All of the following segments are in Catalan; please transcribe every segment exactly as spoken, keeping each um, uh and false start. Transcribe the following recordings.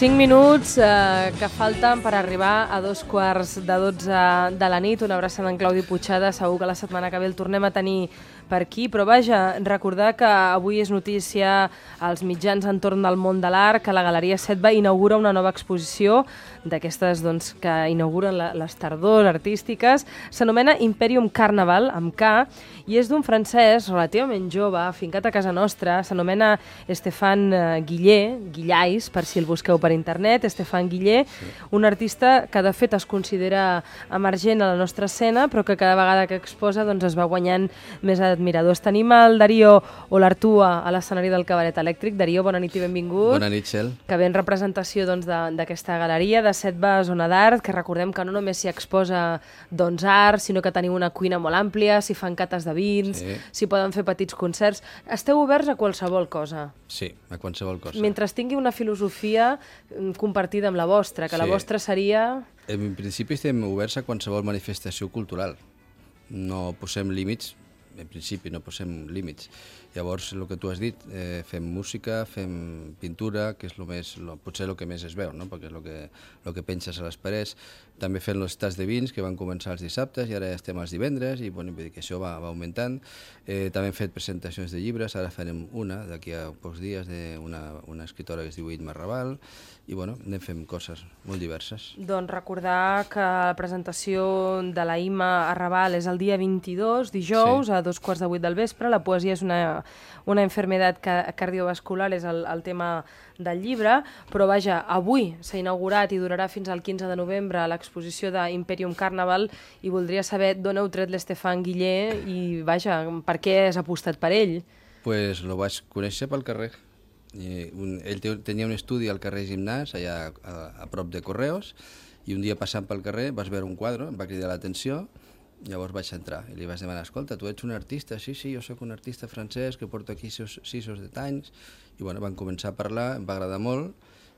Cinc minuts eh, que falten per arribar a dos quarts de dotze de la nit. Una abraçada en Claudi Puigcerda. Segur que la setmana que ve el tornem a tenir per aquí. Però vaja, recordar que avui és notícia als mitjans entorn del món de l'art que la Galeria Setva inaugura una nova exposició d'aquestes doncs, que inauguren la, les tardors artístiques. S'anomena Imperium Carnaval, amb K, i és d'un francès relativament jove, afincat a casa nostra. S'anomena Estefan Guillé, Guillais, per si el busqueu per internet, Estefan Guillé, sí. Un artista que de fet es considera emergent a la nostra escena, però que cada vegada que exposa doncs, es va guanyant més admiradors. Tenim el Darío Olartua a l'escenari del Cabaret Elèctric. Darío, bona nit i benvingut. Bona nit, Txell. Que ve en representació d'aquesta doncs, galeria de Setva Zona d'Art, que recordem que no només s'hi exposa doncs, art, sinó que teniu una cuina molt àmplia, s'hi fan cates de vins, s'hi sí. poden fer petits concerts. Esteu oberts a qualsevol cosa. Sí, a qualsevol cosa. Mentre tingui una filosofia compartida amb la vostra, que sí. La vostra seria... En principi estem oberts a qualsevol manifestació cultural. No posem límits, en principi no posem límits. Llavors, el que tu has dit, eh, fem música, fem pintura, que és lo més, lo, potser el que més es veu, no? Perquè és el que, lo que penses a les parets. També fem els tas de vins, que van començar els dissabtes, i ara estem els divendres, i bueno, vull dir que això va, va augmentant. Eh, també hem fet presentacions de llibres, ara farem una, d'aquí a pocs dies, d'una una escritora que es diu Itma Raval, i bueno, anem fent coses molt diverses. Doncs recordar que la presentació de la Itma Raval és el dia vint-i-dos, dijous, sí. a dos quarts de vuit del vespre. La poesia és una, una enfermedad cardiovascular, és el, el tema del llibre, però vaja, avui s'ha inaugurat i durarà fins al quinze de novembre l'exposició d'Imperium Carnaval, i voldria saber d'on heu tret l'Estefan Guillé i vaja, per què has apostat per ell? Pues lo vaig conèixer pel carrer. I un, ell te, tenia un estudi al carrer Gimnàs, allà a, a prop de Correos, i un dia passant pel carrer vas veure un quadre, em va cridar l'atenció. Llavors vaig entrar i li vaig demanar, escolta, tu ets un artista? Sí, sí, jo sóc un artista francès que porto aquí sis, sis o set anys. I bueno, vam començar a parlar, em va agradar molt.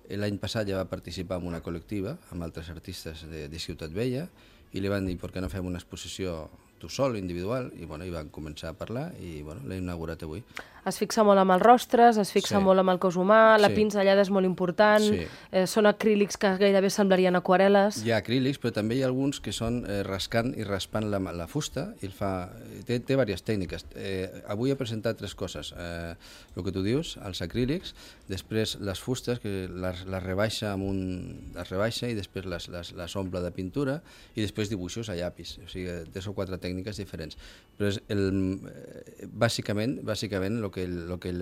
L'any passat ja va participar en una col·lectiva amb altres artistes de, de Ciutat Vella, i li van dir, per què no fem una exposició tu sol, individual, i bueno, hi van començar a parlar i bueno, l'he inaugurat avui. Es fixa molt amb els rostres, es fixa sí. molt amb el cos humà, la sí. pinzellada és molt important, sí. eh, són acrílics que gairebé semblarien aquarel·les. Hi ha acrílics, però també hi ha alguns que són eh, rascant i raspant la, la fusta, i el fa... té, té diverses tècniques. Eh, avui he presentat tres coses. Eh, el que tu dius, els acrílics, després les fustes, que les, les rebaixa amb un... les rebaixa i després les, les, les omple de pintura, i després dibuixos a llapis. O sigui, tres o quatre tècniques diferents. Però és el, bàsicament, bàsicament el que el, lo que el,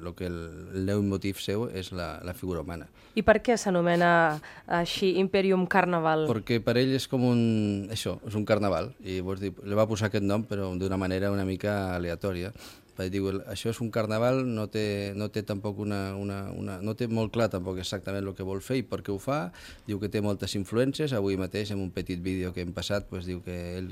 lo que el, el leitmotiv seu és la, la figura humana. I per què s'anomena així Imperium Carnaval? Perquè per ell és com un... això, és un carnaval, i vols dir, li va posar aquest nom però d'una manera una mica aleatòria. Diu, això és un carnaval, no té, no té tampoc una, una, una... no té molt clar tampoc exactament el que vol fer i per què ho fa. Diu que té moltes influències. Avui mateix, en un petit vídeo que hem passat, pues, diu que ell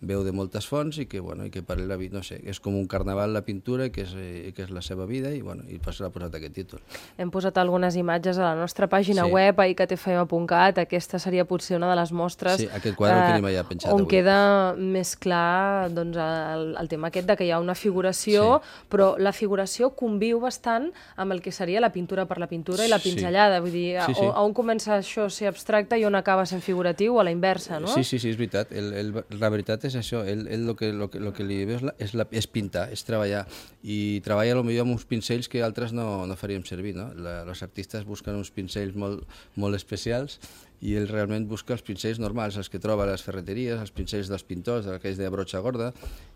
veu de moltes fonts i que, bueno, i que per ell la vida, no sé, és com un carnaval la pintura i que és, i que és la seva vida, i, bueno, i per això l'ha posat aquest títol. Hem posat algunes imatges a la nostra pàgina sí. web, a i que te fe ema punt cat. Aquesta seria potser una de les mostres sí, aquest quadre eh, que n'hi ha penjat on avui. Queda més clar doncs, el, el tema aquest de que hi ha una figuració, sí. però la figuració conviu bastant amb el que seria la pintura per la pintura i la pinzellada. Vull dir, sí, sí. A, on comença això a ser abstracte i on acaba sent figuratiu, o a la inversa, no? Sí, sí, sí, és veritat. El, el, la veritat és això. Ell, ell lo, que, lo, que, lo que li ve és, la, és, la, és pintar, és treballar. I treballa potser amb uns pincells que altres no, no faríem servir, no? La, els artistes busquen uns pincells molt, molt especials, i ell realment busca els pincells normals, els que troba a les ferreteries, els pincells dels pintors, aquells de brotxa gorda,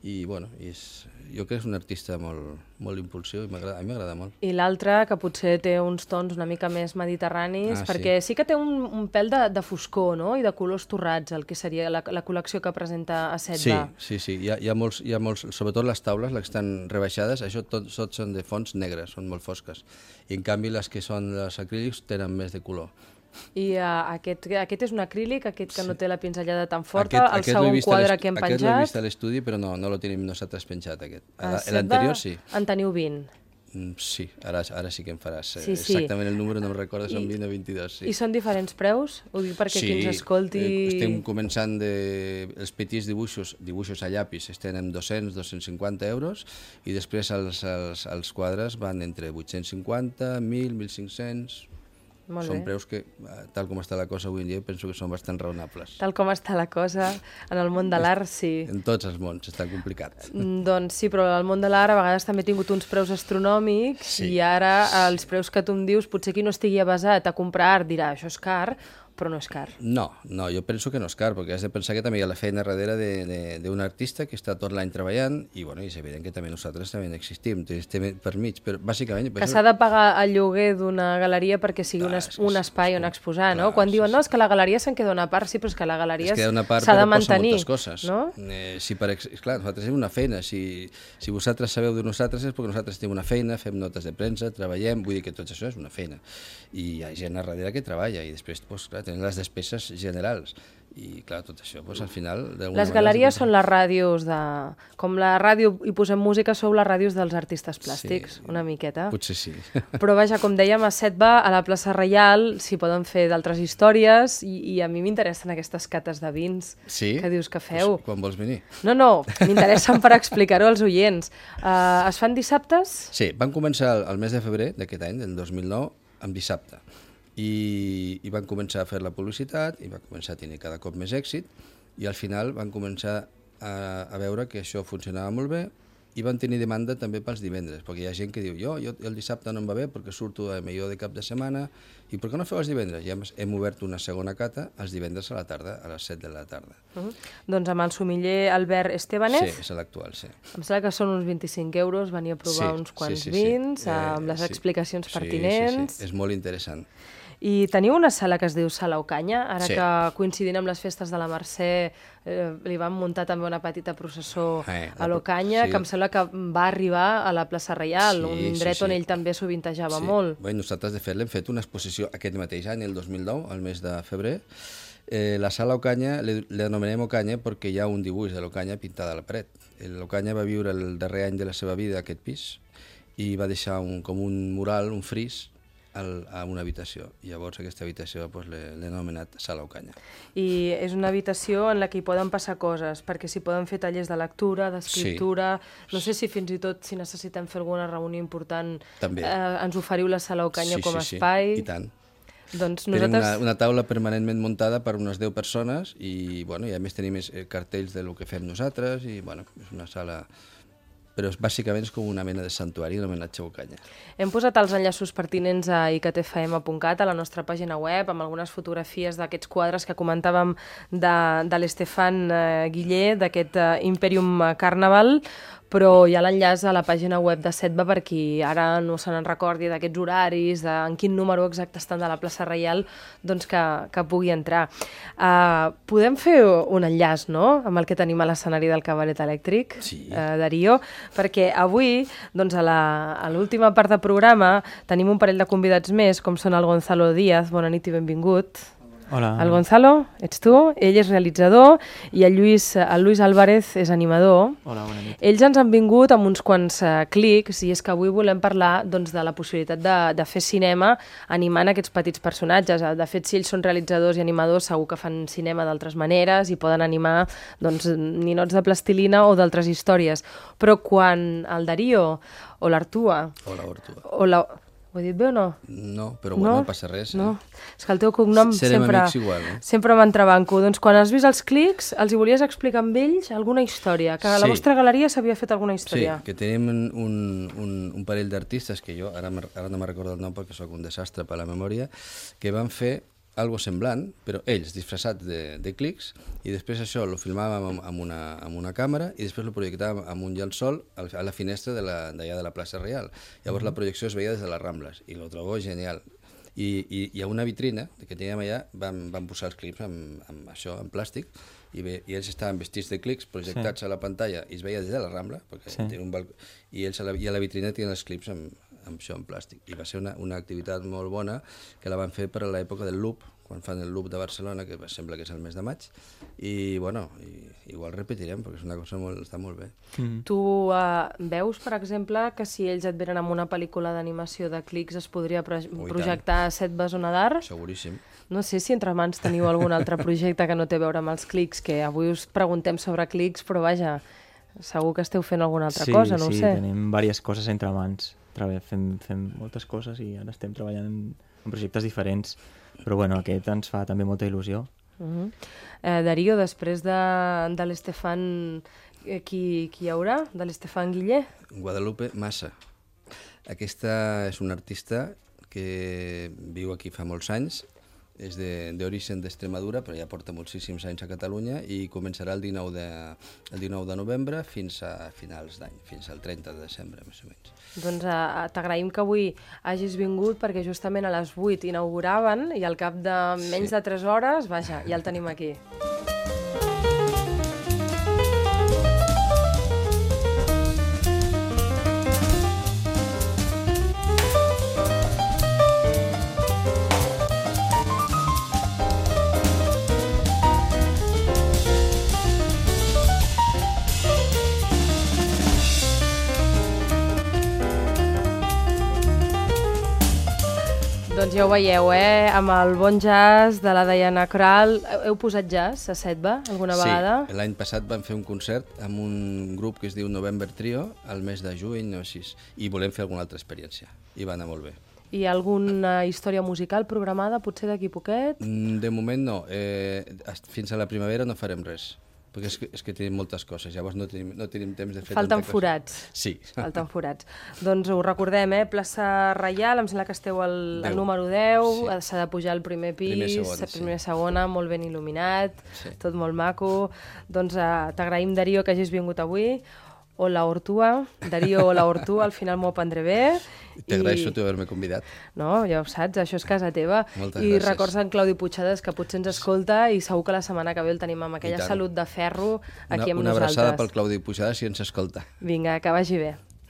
i bueno, és, jo crec que és un artista molt, molt impulsiu, i a mi m'agrada molt. I l'altre, que potser té uns tons una mica més mediterranis, ah, perquè sí. sí que té un, un pèl de, de foscor, no?, i de colors torrats, el que seria la, la col·lecció que presenta a Setva. Sí, sí, sí, hi ha, hi ha, molts, hi ha molts, sobretot les taules, les que estan rebaixades, això tot, tot són de fons negres, són molt fosques, i en canvi les que són els acrílics tenen més de color. I uh, aquest, aquest és un acrílic, aquest que no té la pinzellada tan forta, aquest, el aquest segon quadre que hem penjat. Aquest l'he vist a l'estudi, però no, no lo tenim nosaltres penjat, aquest. L'anterior sí. En teniu vint? Mm, sí, ara, ara sí que em faràs. Sí, sí. Exactament el número no em recordo, són vint o vint-i-dos. Sí. I són diferents preus? Ho dic perquè sí, qui ens escolti... Sí, eh, estem començant de... Els petits dibuixos, dibuixos a llapis, estan en dos-cents a dos-cents cinquanta euros, i després els, els, els quadres van entre vuit-cents cinquanta, mil, mil cinc-cents... Molt són bé. preus que, tal com està la cosa avui en dia, penso que són bastant raonables. Tal com està la cosa, en el món de l'art, sí. En tots els mons està complicat. Doncs sí, però el món de l'art a vegades també ha tingut uns preus astronòmics Sí. i ara els preus que tu em dius, potser qui no estigui avasat a comprar art dirà això és car, però no és car. No, no, jo penso que no és car, perquè has de pensar que també hi ha la feina darrere d'un artista que està tot l'any treballant i, bueno, és evident que també nosaltres també existim, estem per mig, però bàsicament... Que s'ha de pagar el lloguer d'una galeria perquè sigui un, es, un espai on exposar, no? Quan diuen, no, és que la galeria se'n queda una part, sí, però és que la galeria s'ha de mantenir, moltes coses. No? Eh, si per, clar, nosaltres tenim una feina, si, si vosaltres sabeu de nosaltres és perquè nosaltres tenim una feina, fem notes de premsa, treballem, vull dir que tot això és una feina. I hi ha gent a darrere que treballa i després, doncs, clar, tenen les despeses generals i clar, tot això, doncs, al final... Les galeries són les ràdios de... Com la ràdio hi posem música, sou les ràdios dels artistes plàstics, sí, una miqueta. Potser sí. Però vaja, com dèiem, a Setba, a la plaça Reial, s'hi poden fer d'altres històries i, i a mi m'interessen aquestes cates de vins sí? que dius que feu. Pues, quan vols venir? No, no, m'interessen per explicar-ho als oients. Uh, es fan dissabtes? Sí, van començar el, el mes de febrer d'aquest any, del dos mil nou, amb dissabte. I, i van començar a fer la publicitat i va començar a tenir cada cop més èxit i al final van començar a, a veure que això funcionava molt bé i van tenir demanda també pels divendres, perquè hi ha gent que diu jo, jo el dissabte no em va bé perquè surto a millor de cap de setmana i per què no feu els divendres? I hem, hem obert una segona cata els divendres a la tarda, a les set de la tarda. Uh -huh. Doncs amb el somiller Albert Estebanez. Sí, és l'actual, sí. Em sembla que són uns vint-i-cinc euros, venir a provar sí, uns quants sí, sí, sí. vins, Eh, amb les sí. explicacions sí, pertinents. Sí, sí, és molt interessant. I teniu una sala que es diu Sala Ocanya, ara Sí. que coincidint amb les festes de la Mercè eh, li van muntar també una petita processó Eh, a l'Ocanya, sí. que em sembla que va arribar a la plaça Reial, Sí, un sí, indret sí. on ell també sovintejava Sí. molt. Bé, nosaltres, de fet, l'hem fet una exposició aquest mateix any, el dos mil nou, al mes de febrer. Eh, la sala Ocanya, l'anomenem Ocanya perquè hi ha un dibuix de l'Ocanya pintada a la paret. L'Ocanya va viure el darrer any de la seva vida a aquest pis i va deixar un, com un mural, un fris, al, a una habitació. I llavors aquesta habitació pues, l'he anomenat Sala Ocanya. I és una habitació en la que hi poden passar coses, perquè s'hi poden fer tallers de lectura, d'escriptura... Sí. No sé si fins i tot, si necessitem fer alguna reunió important, també. Eh, ens oferiu la Sala Ocanya sí, com a sí, espai. Sí, i tant. Doncs nosaltres... Tenim una, una taula permanentment muntada per unes deu persones i, bueno, i a més tenim cartells del que fem nosaltres i bueno, és una sala... Però bàsicament és com una mena de santuari, un homenatge a Ocanya. Hem posat els enllaços pertinents a i c t f m punt cat, a la nostra pàgina web, amb algunes fotografies d'aquests quadres que comentàvem de, de l'Estefan eh, Guiller, d'aquest eh, Imperium Carnaval, però hi ha l'enllaç a la pàgina web de Setba per qui ara no se n'en recordi d'aquests horaris, de en quin número exacte estan de la plaça Reial, doncs que, que pugui entrar. Uh, podem fer un enllaç, no?, amb el que tenim a l'escenari del Cabaret Elèctric, sí. uh, Darío, perquè avui, doncs a l'última part del programa, tenim un parell de convidats més, com són el Gonzalo Díaz, bona nit i benvingut. Hola. El Gonzalo, ets tu, ell és realitzador i el Lluís, el Luis Álvarez és animador. Hola, bona nit. Ells ens han vingut amb uns quants uh, clics i és que avui volem parlar doncs, de la possibilitat de, de fer cinema animant aquests petits personatges. De fet, si ells són realitzadors i animadors, segur que fan cinema d'altres maneres i poden animar doncs, ninots de plastilina o d'altres històries. Però quan el Darío o l'Artua... O l'Artua. O la... Ho he dit bé o no? No, però bueno, no, no passa res. Eh? No, és que el teu cognom Serem sempre, igual, eh? sempre m'entrebanco. Doncs quan has vist els clics, els hi volies explicar amb ells alguna història, que a la sí. vostra galeria s'havia fet alguna història. Sí, que tenim un, un, un parell d'artistes, que jo ara, ara no me'n recordo el nom perquè sóc un desastre per la memòria, que van fer algo semblant, però ells disfressats de, de clics, i després això lo filmàvem amb, amb, una, amb una càmera i després lo projectàvem amb un llençol a la finestra d'allà de, de la plaça Reial. Llavors la projecció es veia des de les Rambles i lo trobo genial. I, i, i a una vitrina que teníem allà vam, vam posar els clips amb, amb això, en plàstic, i, bé, i ells estaven vestits de clics projectats sí. a la pantalla i es veia des de la Rambla, perquè sí. tenen un balcó, i ells a la, i a la vitrina tenen els clips amb, amb això en plàstic. I va ser una, una activitat molt bona que la van fer per a l'època del Loop, quan fan el Loop de Barcelona, que sembla que és el mes de maig, i bueno, i, igual repetirem, perquè és una cosa molt, està molt bé. Mm. Tu uh, veus, per exemple, que si ells et venen amb una pel·lícula d'animació de clics es podria pro Ui, projectar a Setba Zona d'Art? Seguríssim. No sé si entre mans teniu algun altre projecte que no té a veure amb els clics, que avui us preguntem sobre clics, però vaja, segur que esteu fent alguna altra sí, cosa, no sí, ho sé. Sí, tenim diverses coses entre mans. Fem, fem moltes coses i ara estem treballant en en projectes diferents, però bueno, aquest ens fa també molta il·lusió. Uh -huh. eh, Darío, després de, de l'Estefan, eh, qui, qui hi haurà? De l'Estefan Guillé? Guadalupe Massa. Aquesta és una artista que viu aquí fa molts anys, és d'origen d'Extremadura, però ja porta moltíssims anys a Catalunya i començarà el dinou de, el dinou de novembre fins a finals d'any, fins al trenta de desembre, més o menys. Doncs uh, t'agraïm que avui hagis vingut perquè justament a les vuit inauguraven i al cap de menys sí. de tres hores, vaja, ja el tenim aquí. Doncs ja ho veieu, eh? Amb el bon jazz de la Diana Krall. Heu posat jazz a Setba alguna vegada? Sí, l'any passat vam fer un concert amb un grup que es diu November Trio, al mes de juny o així, i volem fer alguna altra experiència, i va anar molt bé. Hi ha alguna història musical programada, potser d'aquí poquet? De moment no, eh, fins a la primavera no farem res. Perquè és que, és que tenim moltes coses, llavors no tenim, no tenim temps de fer Falten tanta forats. cosa. Sí. Falten forats. Doncs ho recordem, eh? Plaça Reial, em sembla que esteu al, al número deu, s'ha sí. de pujar al primer pis, primer segona, primera sí. segona, molt ben il·luminat, sí. tot molt maco. Doncs eh, t'agraïm, Darío, que hagis vingut avui. Hola, Ortua. Darío, hola, Ortua, al final m'ho aprendré bé. T'agraeixo tu haver-me convidat. No, ja ho saps, això és casa teva. Moltes I gràcies. records en Claudi Puigcercas, que potser ens escolta i segur que la setmana que ve el tenim amb aquella salut de ferro aquí una, amb una nosaltres. Una abraçada pel Claudi Puigcercas si ens escolta. Vinga, que vagi bé.